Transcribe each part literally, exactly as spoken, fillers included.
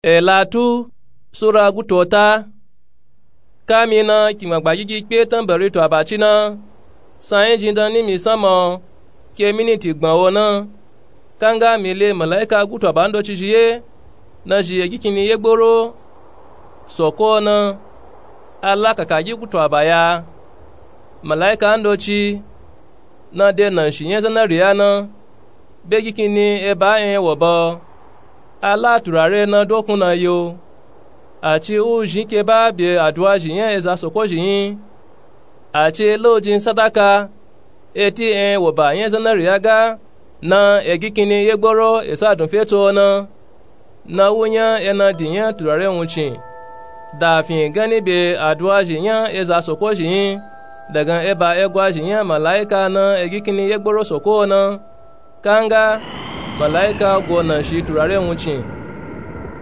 Elatu sura gutota. Kamina kingba gbagigi kpe tambari to abaci na, sanyi jindan nimi sama o, ke miniti gban o na. Kanga mi le malaika gutu aba ndoci zhi ye, na zhi egikini yegboro soko na. Ala kakagi gutu aba ya. Malaika ndoci na de nanshi nya zanariya na, be gikini eba en wo ba o. Ala turare na dokun na yo. Aci u zhin ke ba be aduwa zhi nya eza soko zhi yin. Aci lo jin sadaka, eti en wo ba nya zanariya ga, na egikini yegboro esa dun feto na. Na wu nya ena di nya turare wuncin, da fin gani be aduwa zhi nya eza soko zhi yin, dagan eba egwa zhi nya malaika na egikini yegboro soko na. Kanga malaika go nanshi turare wuncin,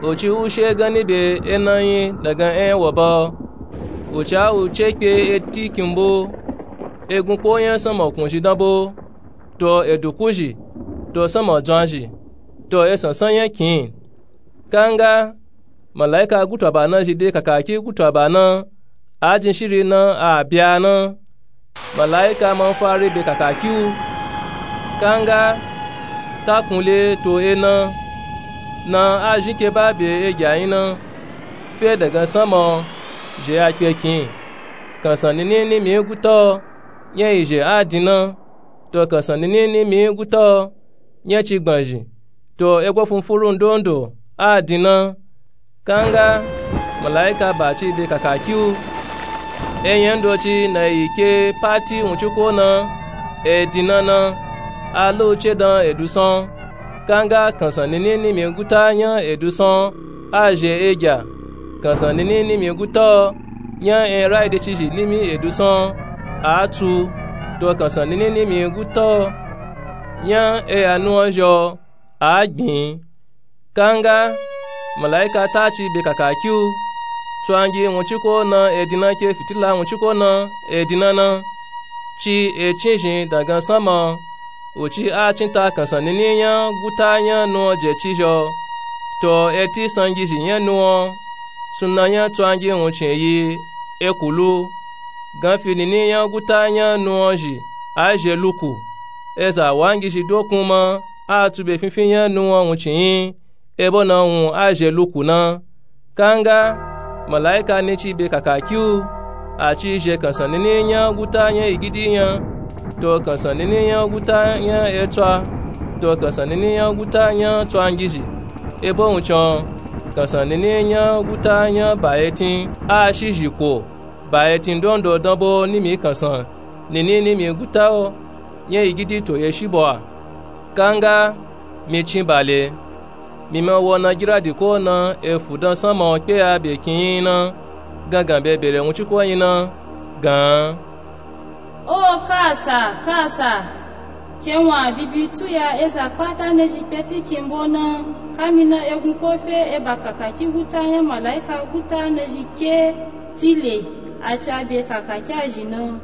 uci u she gani be ena yin dagan en wo ba o. Uci a u ce kpe eti kimbo, egun kpo nya sama kun zhi danbo, to eduku zhi, to sama dzwan zhi, to esansan nya kin. Kanga malaika gutu aba na zhi de kakaki gutu aba na, a jin shiri na a bya na. Malaika ma fari be kakaki u. Kanga takun le to ena, na a zhin ke ba be egya yin na, fe dagan sama o, zhe ya kpe kin. Kansan nini nimi guta o, nya izhe a din na, to kansan nini nimi guta o, nya ci gban zhi, to egwa funfuru ndondo a din na. Kanga malaika ba ci be kakaki u. Enya ndoci na yi ke pati wunciko na, e din na na, a lo ce dan edusan. Kanga kansan nini nimi guta nya edusan a zhe egya. Kansan nini nimi guta o, nya en rai de ci zhi nimi edusan a tu, to kansan nini nimi guta o, nya eya nuwan zho a gbin. Kanga malaika ta ci be kakaki u. Tsangi wunciko na e din na ke fitila wunciko na e din na na, ci e cin zhin dagan sama o. Uci a cin ta kansan nini nya guta nya nuwan je ci zho, to eti sangi zhi nya nuwan. Suna nya tsangi wuncin yi ekulu. Ganfi nini nya guta nya nuwan zhi a zhe luku. Eza wangi zhi dokun ma a tu be finfin nya nuwan wuncin yin, ebo na wun a zhe luku na. Kanga malaika ni ci be kakaki u. A ci zhe kansan nini nya guta nya igidi nya, to kansan nini nya guta nya etswa, to kansan nini nya guta nya tswangizhi. Ebo wuncin o, kansan nini nya guta nya ba etin a shi zhi ko, ba etin ndondo danbo nimi kansan nini nimi guta o, nya igidi to ye shi bo a. Kanga mi cin bale, mi ma wo na giradi ko na efu dan sama o kpe ya be kin yin na, gangan be bere wunciko yin na, gan. O kasa, kasa! Ke wun a bibi tu ya eza kpata ne zhi kpe ti kimbo na, kamina egun kpo fe eba kakaki guta nya malaika guta ne zhi ke tile, a ca be kakaki a zhi na.